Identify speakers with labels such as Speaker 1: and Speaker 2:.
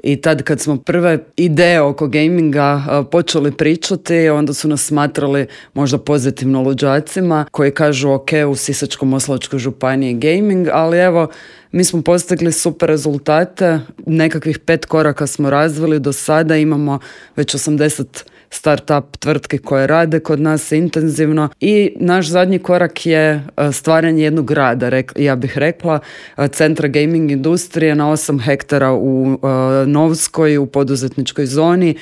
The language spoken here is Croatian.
Speaker 1: I tad kad smo prve ideje oko gaminga počeli pričati, onda su nas smatrali možda pozitivno luđacima koji kažu ok, u Sisačko-moslavačkoj županiji gaming, ali evo, mi smo postigli super rezultate, nekakvih 5 koraka smo razvili, do sada imamo već 80 start-up tvrtke koje rade kod nas intenzivno i naš zadnji korak je stvaranje jednog grada, ja bih rekla, centra gaming industrije na 8 hektara u Novskoj, u poduzetničkoj zoni,